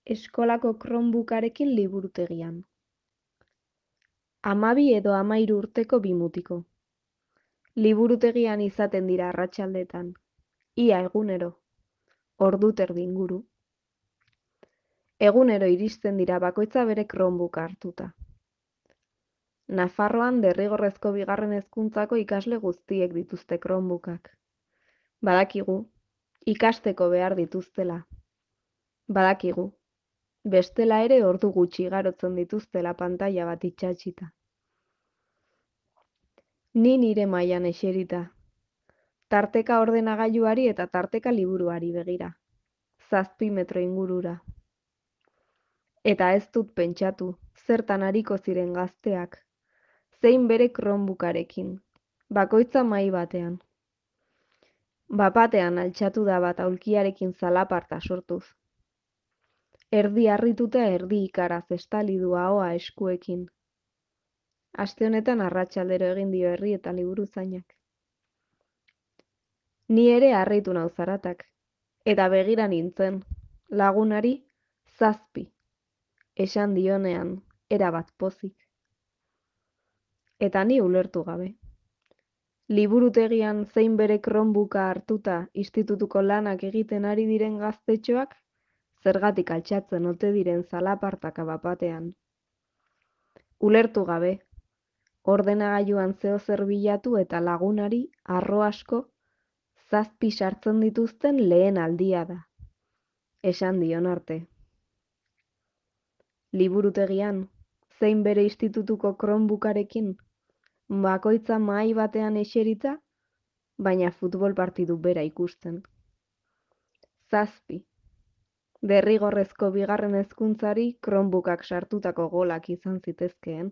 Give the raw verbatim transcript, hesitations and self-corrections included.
Eskolako Chromebookarekin liburutegian. Hamabi edo hamahiru urteko bi mutiko. Liburutegian izaten dira arratsaldetan, ia egunero, ordu terdi inguru. Egunero iristen dira bakoitza bere Chromebooka hartuta. Nafarroan derrigorrezko bigarren hezkuntzako ikasle guztiek dituzte Chromebookak. Badakigu, ikasteko behar dituztela. Badakigu, bestela ere ordu gutxi igarotzen dituztela pantaila bat itsatsita. Ni nire mailan eserita, tarteka ordenagailuari eta tarteka liburuari begira, zazpi metro ingurura. Eta ez dut pentsatu, zertan ariko ziren gazteak, zein bere Chromebookarekin, bakoitza mahai batean. Bapatean altxatu da bat aulkiarekin zalaparta sortuz. Erdi harrituta erdi ikaraz estali du ahoa eskuekin. Aste honetan arratsaldero egin dio herri eta liburuzainak. Ni ere harritu nau zaratak, eta begira nintzen, lagunari zazpi, esan dionean, erabat pozik. Eta ni ulertu gabe. Liburutegian zein bere Chromebooka hartuta institutuko lanak egiten ari diren gaztetxoak, zergatik altxatzen ote diren zalapartaka bapatean. Ulertu gabe, ordenagailuan zeozer bilatu eta lagunari harro asko zazpi sartzen dituzten lehen aldia da, esan dion arte. Liburutegian, zein bere institutuko Chromebookarekin, bakoitza mahai batean eserita, baina futbol partidu bera ikusten. Zazpi. Derrigorrezko bigarren hezkuntzari Chromebookak sartutako golak izan zitezkeen.